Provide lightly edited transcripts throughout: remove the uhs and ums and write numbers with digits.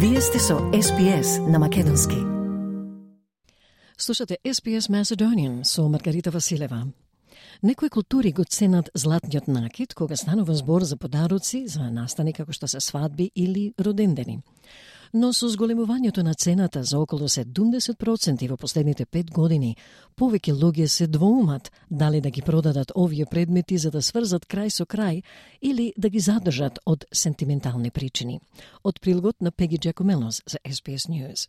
Вие сте со SPS на Македонски. Слушате SPS Macedonian со Маргарита Василева. Некои култури го ценат златниот накид кога станува збор за подароци, за настани како што се свадби или родендени. Но со зголемувањето на цената за околу 70% во последните 5 години, повеќе луѓе се двоумат дали да ги продадат овие предмети за да сврзат крај со крај или да ги задржат од сентиментални причини. Од прилогот на Пеги Джакомелос за SBS News.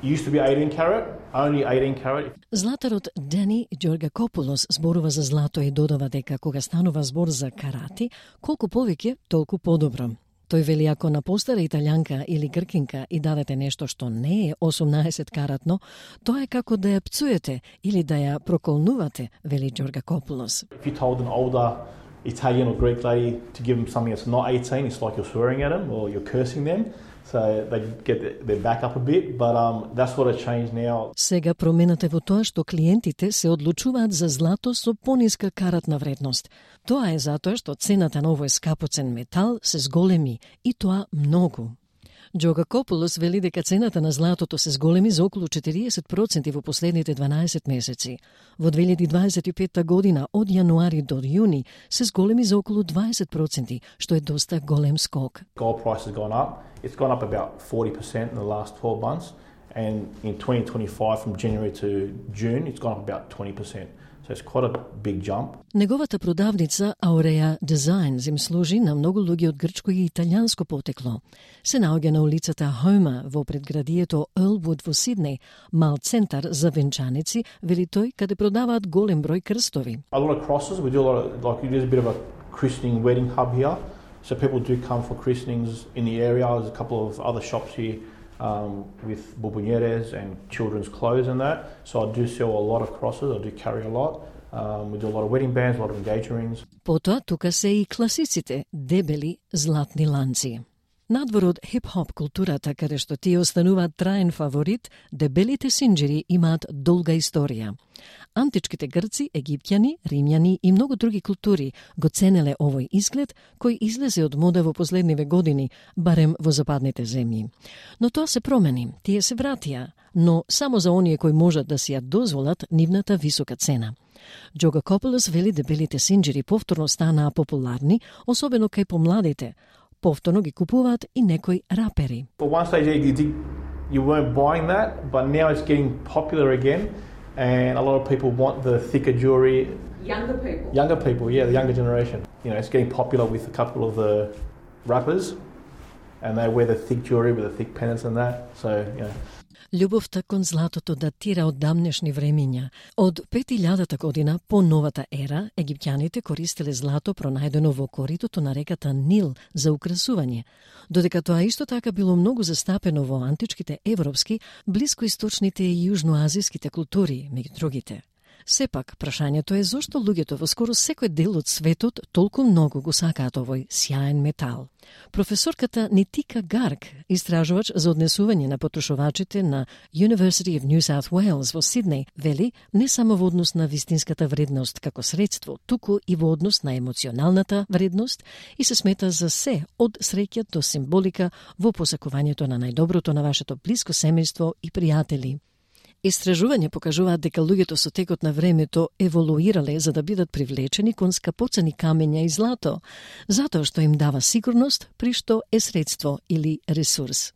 Used to be 18 carat, only 18 carat. Златарот Дани Ѓоргакопулос зборува за злато и додава дека кога станува збор за карати, колку повеќе, толку подобро. Тој вели ако на постара италијанка или гркинка и дадете нешто што не е 18 каратно, тоа е како да ја пцуете или да ја проколнувате, вели Ѓоргакопулос. If you told an older Italian or Greek lady to give them something that's not 18, it's like you're swearing at them or you're cursing them. So they get their back up a bit, but that's what has changed now. Сега промената во тоа што клиентите се одлучуваат за злато со пониска каратна вредност. Тоа е затоа што цената на овој скапоцен метал се зголеми и тоа многу. Ѓоргакопулос вели дека цената на златото се зголеми за околу 40% во последните 12 месеци. Во 2025 година од јануари до јуни се зголеми за околу 20%, што е доста голем скок. Gold price has gone up. It's gone up about 40% in the last 12 months, and in 2025 from January to June it's gone up about 20%. So it's quite a big jump. Неговата продавница Aurea Designs им служи на многу луѓе од грчко и италијанско потекло. Се наоѓа на улицата Хома во предградието Earlwood во Сиднеј, мал центар за венчаници, вели тој, каде продаваат голем број крстови. A lot of crosses. We do a lot of, like, it is a bit of a christening wedding hub here. So people do come for christenings in the area. There's a couple of other shops here with bombonjeres and children's clothes and that. So I do sell a lot of crosses. I do carry a lot. We do a lot of wedding bands, a lot of engagement rings. Потоа тука се и класиците, дебели златни ланци. Надвор од хип-хоп културата, каде што тие остануваат траен фаворит, дебелите синџери имаат долга историја. Античките грци, египтјани, римјани и многу други култури го ценеле овој изглед, кој излезе од мода во последниве години, барем во западните земји. Но тоа се промени, тие се вратија, но само за оние кои можат да си ја дозволат нивната висока цена. Ѓоргакопулос вели дебелите синџери повторно станаа популарни, особено кај помладите. Повторно ги купуваат и некои рапери. For one stage you weren't buying that, but now it's getting popular again, and a lot of people want the thicker jewelry. Younger people, yeah, the younger generation. You know, it's getting popular with a couple of the rappers, and they wear the thick jewelry with the thick pendants and that. So, you know. Љубовта кон златото датира од давнешни времиња. Од 5000 година по новата ера, египтјаните користеле злато пронајдено во коритото на реката Нил за украсување, додека тоа исто така било многу застапено во античките европски, блискоисточните и јужноазиските култури, меѓу другите. Сепак, прашањето е зошто луѓето во скоро секој дел од светот толку многу го сакаат овој сјаен метал. Професорката Нитика Гарг, истражувач за однесување на потрошувачите на University of New South Wales во Сиднеј, вели не само во однос на вистинската вредност како средство, туку и во однос на емоционалната вредност и се смета за се од среќа до символика во посакувањето на најдоброто на вашето блиско семејство и пријатели. Истражување покажуваат дека луѓето со текот на времето еволуирале за да бидат привлечени кон скапоцени камења и злато, затоа што им дава сигурност, при што е средство или ресурс.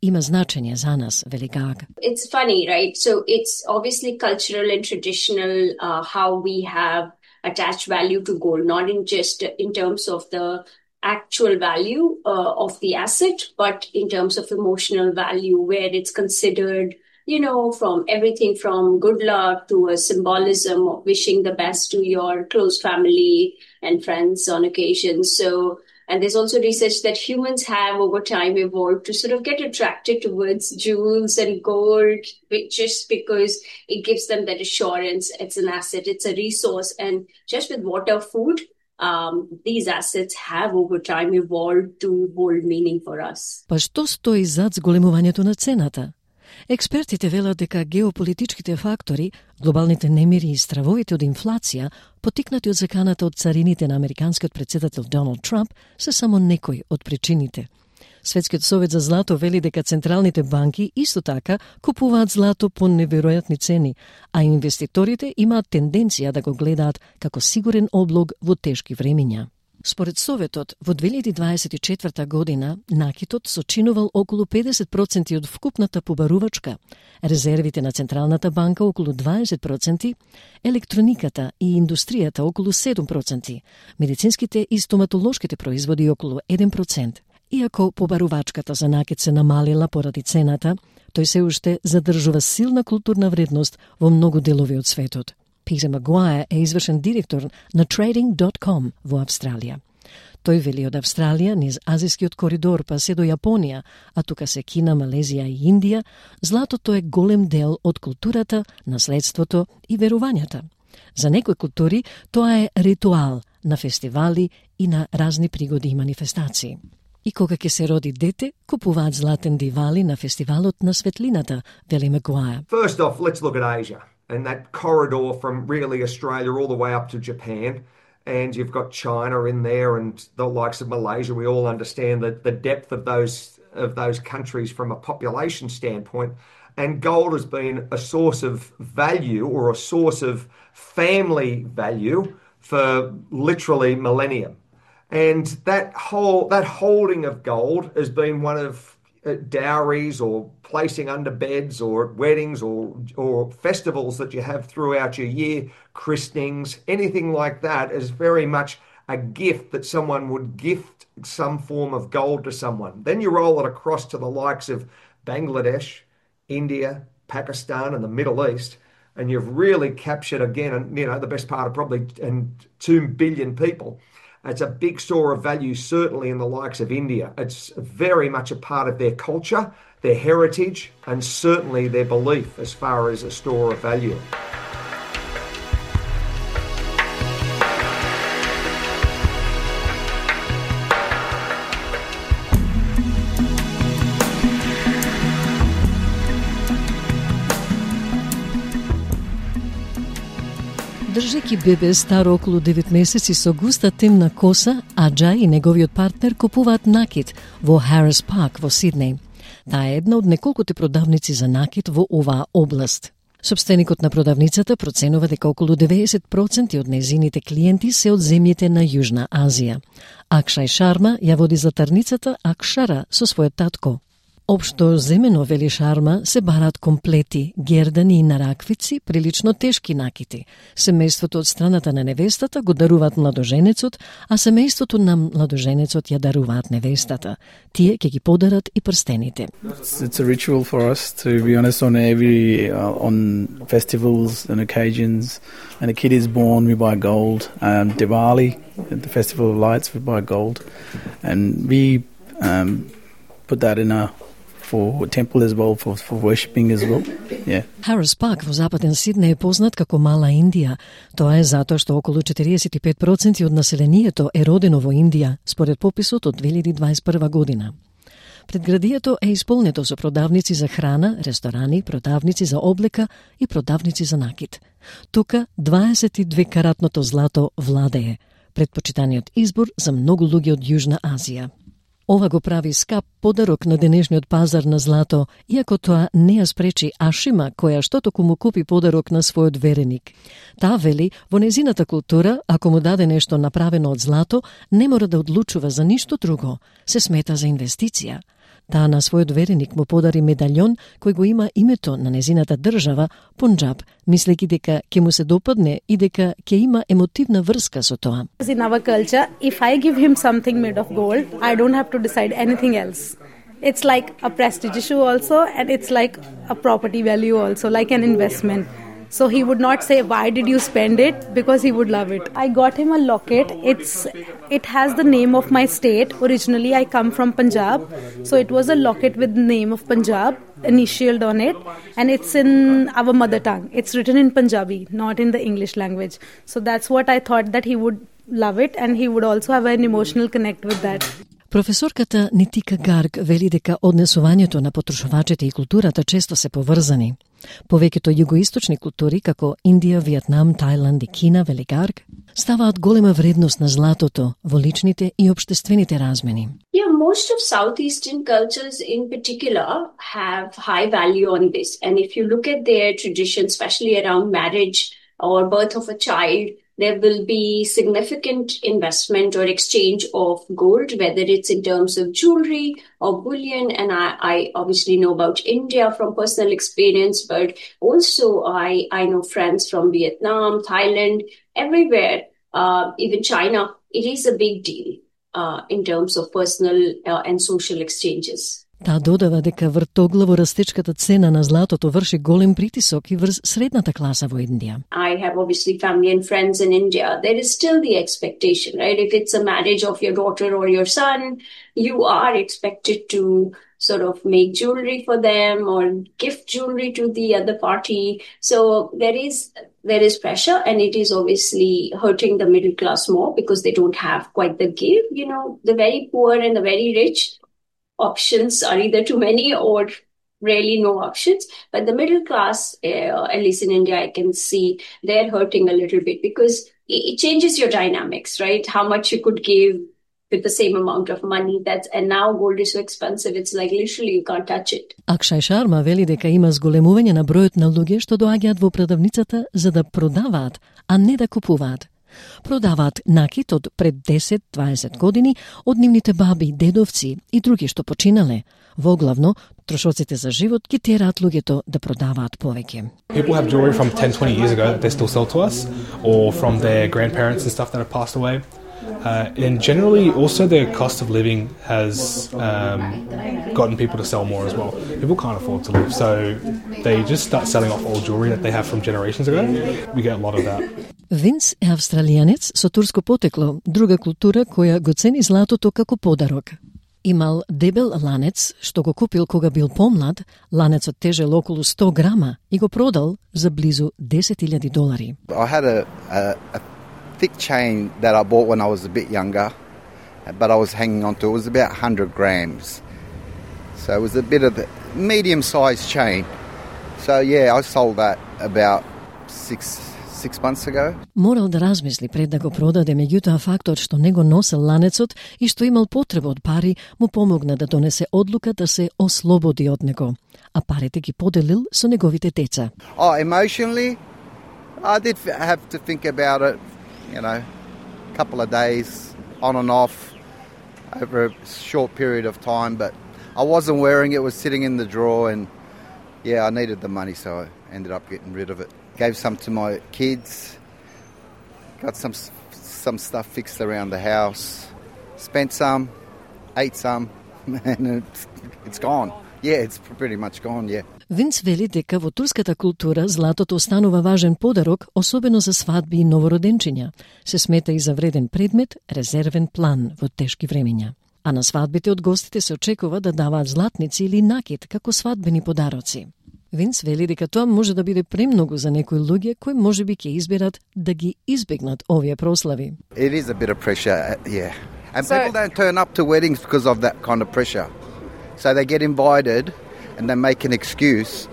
Има значење за нас, вели Гаг. It's funny, right? So it's obviously cultural and traditional how we have attached value to gold, not in just in terms of the actual value of the asset, but in terms of emotional value, where it's considered, you know, from everything from good luck to a symbolism of wishing the best to your close family and friends on occasions. So, and there's also research that humans have over time evolved to sort of get attracted towards jewels and gold just because it gives them that assurance. It's an asset, it's a resource. And just with water, food, these assets have over time evolved to hold meaning for us. Па што стои зад зголемувањето на цената? Експертите велат дека геополитичките фактори, глобалните немири и стравовите од инфлација, потикнати од заканата од царините на американскиот председател Доналд Трамп, се само некои од причините. Светскиот совет за злато вели дека централните банки исто така купуваат злато по неверојатни цени, а инвеститорите имаат тенденција да го гледаат како сигурен облог во тешки времиња. Според Советот, во 2024 година накитот сочинувал околу 50% од вкупната побарувачка, резервите на Централната банка околу 20%, електрониката и индустријата околу 7%, медицинските и стоматолошките производи околу 1%. Иако побарувачката за накит се намалила поради цената, тој се уште задржува силна културна вредност во многу делови од светот. Питер Магуајер е извршен директор на Trading.com во Австралија. Тој вели од Австралија низ азискиот коридор па се до Јапонија, а тука се Кина, Малезија и Индија, златото е голем дел од културата, наследството и верувањата. За некои култури тоа е ритуал на фестивали и на разни пригоди и манифестации. И кога ќе се роди дете, купуваат златен дивали на фестивалот на светлината, вели Магуајер. First off, let's look at Asia and that corridor from really Australia all the way up to Japan. And you've got China in there and the likes of Malaysia. We all understand the depth of those countries from a population standpoint. And gold has been a source of value or a source of family value for literally millennium. And that holding of gold has been one of dowries or placing under beds or weddings or festivals that you have throughout your year, christenings, anything like that is very much a gift that someone would gift some form of gold to someone. Then you roll it across to the likes of Bangladesh, India, Pakistan and the Middle East, and you've really captured again, the best part of probably 2 billion people. It's a big store of value, certainly in the likes of India. It's very much a part of their culture, their heritage, and certainly their belief as far as a store of value. Држеки бебе старо околу 9 месеци со густа темна коса, Аджа и неговиот партнер купуваат накит во Harris Park во Сиднеј. Таа е една од неколкуте продавници за накит во оваа област. Собственикот на продавницата проценува дека околу 90% од незините клиенти се од земјите на Јужна Азија. Акшај Шарма ја води златарницата Акшара со својот татко. Општо земено, вели Шарма, се барат комплети, гердани и нараквици, прилично тешки накити. Семејството од страната на невестата го даруваат младоженецот, а семејството на младоженецот ја даруваат невестата. Тие ќе ги подарат и прстените. It's a ritual for us, to be honest, on festivals and occasions. When a kid is born, we buy gold. Diwali, the Festival of Lights, we buy gold. And we put that in for temple as well, for worshipping as well. Yeah. Harris Park во западен Сиднеј е познат како Мала Индија. Тоа е затоа што околу 45% од населението е родено во Индија, според пописот од 2021 година. Предградието е исполнето со продавници за храна, ресторани, продавници за облека и продавници за накит. Тука 22-каратното злато владее, предпочитаниот избор за многу луѓе од Јужна Азија. Ова го прави скап подарок на денешниот пазар на злато, иако тоа не ја спречи Ашима, која што току му купи подарок на својот вереник. Таа вели, во незината култура, ако му даде нешто направено од злато, не мора да одлучува за ништо друго, се смета за инвестиција. Таа на својот вереник му подари медаљон кој го има името на незината држава, Пунџаб, мислејќи дека ќе му се допадне и дека ќе има емотивна врска со тоа. In our culture, if I give him something made of gold, I don't have to decide anything else. It's like a prestige issue also, and it's like a property value also, like an investment. So he would not say, why did you spend it? Because he would love it. I got him a locket. It has the name of my state. Originally, I come from Punjab. So it was a locket with the name of Punjab initialed on it. And it's in our mother tongue. It's written in Punjabi, not in the English language. So that's what I thought, that he would love it. And he would also have an emotional connect with that. Професорката Нитика Гарг вели дека однесувањето на потрошувачите и културата често се поврзани. Повеќето југоисточни култури, како Индија, Виетнам, Тајланд и Кина, вели Гарг, ставаат голема вредност на златото во личните и општествените размени. Yeah, most of Southeastern cultures in particular have high value on this. And if you look at their traditions, especially around marriage or birth of a child, there will be significant investment or exchange of gold, whether it's in terms of jewelry or bullion. And I obviously know about India from personal experience, but also I know friends from Vietnam, Thailand, everywhere, even China. It is a big deal in terms of personal and social exchanges. Таа додава дека вртоглаво растечката цена на златото врши голем притисок и врз средната класа во Индија. I have obviously family and friends in India. There is still the expectation, right? If it's a marriage of your daughter or your son, you are expected to sort of make jewelry for them or gift jewelry to the other party. So there is pressure, and it is obviously hurting the middle class more because they don't have quite the give. You know, the very poor and the very rich, options are either too many or really no options. But the middle class, at least in India, I can see they're hurting a little bit because it changes your dynamics, right? How much you could give with the same amount of money. And now gold is so expensive, it's like literally you can't touch it. Акшај Шарма вели дека има зголемување на бројот на луѓе што доаѓаат во продавницата за да продаваат, а не да купуваат. Продаваат накит од пред 10-20 години од нивните баби, дедовци и други што починале. Воглавно, трошоците за живот ги тераат луѓето да продаваат повеќе. People have jewelry from 10-20 years ago that they still sell to us, or from their grandparents and stuff that have passed away. And generally, also the cost of living has gotten people to sell more as well. People can't afford to live, so they just start selling off old jewelry that they have from generations ago. We get a lot of that. Винс е австралијанец со турско потекло, друга култура која го цени златото како подарок. Имал дебел ланец што го купил кога бил помлад, ланецот тежел околу 100 грама и го продал за близу $10,000. I had a thick chain that I bought when I was a bit younger, but I was hanging on to it. It was about 100 grams. So it was a bit of a medium-sized chain. So yeah, I sold that about six months ago. Морал да размисли пред да го продаде, меѓутоа фактот што не го носел ланецот и што имал потреба од пари му помогна да донесе одлука да се ослободи од него, а парите ги поделил со неговите деца. Emotionally, I did have to think about it, you know, a couple of days on and off over a short period of time, but I wasn't wearing it, was sitting in the drawer, and yeah, I needed the money, so I ended up getting rid of it. Gave some to my kids, got some stuff fixed around the house, spent some, ate some, and it's gone. Yeah, it's pretty much gone, yeah. Винс вели дека во турската култура златото останува важен подарок, особено за свадби и новороденчиња. Се смета и за вреден предмет, резервен план во тешки времиња. А на свадбите од гостите се очекува да даваат златници или накит како свадбени подароци. Винс вели дека тоа може да биде премногу за некои луѓе кои можеби ќе изберат да ги избегнат овие прослави. It is a bit of pressure, yeah. And people don't turn up to weddings because of that kind of pressure. So they get invited and they make an excuse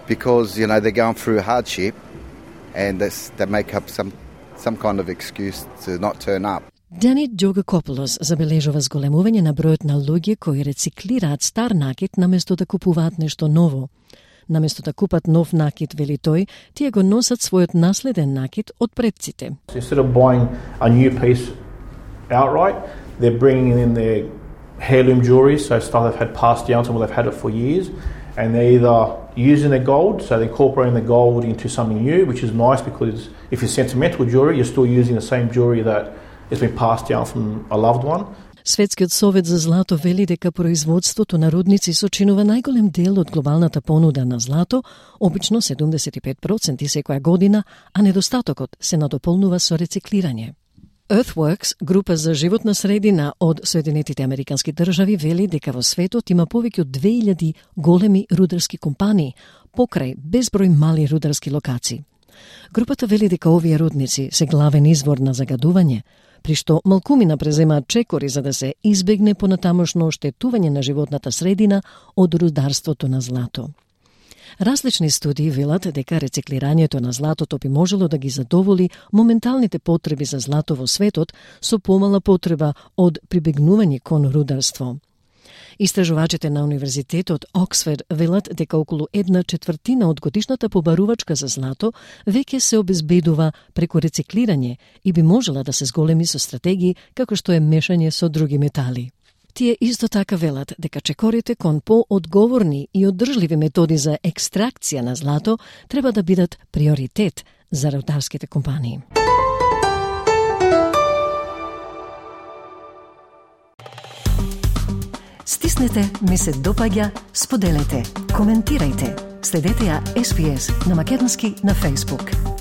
because, you know, they're going through hardship, and they make up some kind of excuse to not turn up. Дани Джогакополос забележува зголемување на бројот на луѓе кои рециклираат стар накит наместо да купуваат нешто ново. Наместо да купат нов накит, вели тој, тие го носат својот наследен накит од предците. Instead of buying a new piece outright, they're bringing in their heirloom jewelry, so stuff they've had passed down to them, they've had it for years, and they're either using the gold, so they're incorporating the gold into something new, which is nice because if it's sentimental jewelry, you're still using the same jewelry that has been passed down from a loved one. Светскиот совет за злато вели дека производството на рудници сочинува најголем дел од глобалната понуда на злато, обично 75% секоја година, а недостатокот се надополнува со рециклирање. Earthworks, група за животна средина од Соединетите Американски држави, вели дека во светот има повеќе од 2000 големи рударски компании, покрај безброј мали рударски локации. Групата вели дека овие рудници се главен извор на загадување, при што малкумина преземаат чекори за да се избегне понатамошно оштетување на животната средина од рударството на злато. Различни студии велат дека рециклирањето на златото би можело да ги задоволи моменталните потреби за злато во светот со помала потреба од прибегнување кон рударство. Истражувачите на Универзитетот Оксфорд велат дека околу 1/4 од годишната побарувачка за злато веќе се обезбедува преку рециклирање и би можела да се зголеми со стратегии како што е мешање со други метали. Тие исто така велат дека чекорите кон поодговорни и одржливи методи за екстракција на злато треба да бидат приоритет за рударските компании. Стиснете, ми се допаѓа, споделете, коментирајте. Следете ја SPS на македонски на Facebook.